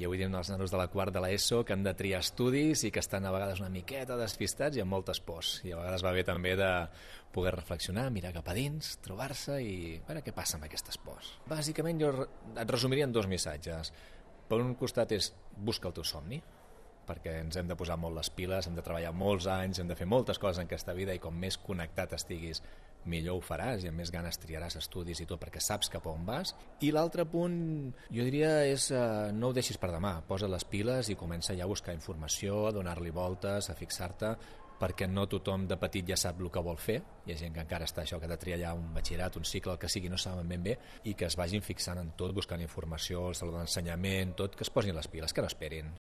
I avui diem els nanos de la quart de l'ESO que han de triar estudis i que estan a vegades una miqueta despistats i amb moltes pors. I a vegades va bé també de poder reflexionar, mirar cap a dins, trobar-se i veure què passa amb aquestes pors. Bàsicament jo et resumiria en 2 missatges. Per un costat és busca el teu somni, perquè ens hem de posar molt les piles, hem de treballar molts anys, hem de fer moltes coses en aquesta vida i com més connectat estiguis, millor ho faràs i amb més ganes triaràs estudis i tot perquè saps cap on vas. I l'altre punt, jo diria, és no ho deixis per demà, posa les piles i comença ja a buscar informació, a donar-li voltes, a fixar-te, perquè no tothom de petit ja sap el que vol fer. Hi ha gent que encara està això, que ha de triar allà un batxillerat, un cicle, el que sigui, no saben ben bé, i que es vagin fixant en tot, buscant informació, el saló d'ensenyament, tot, que es posin les piles, que no esperin.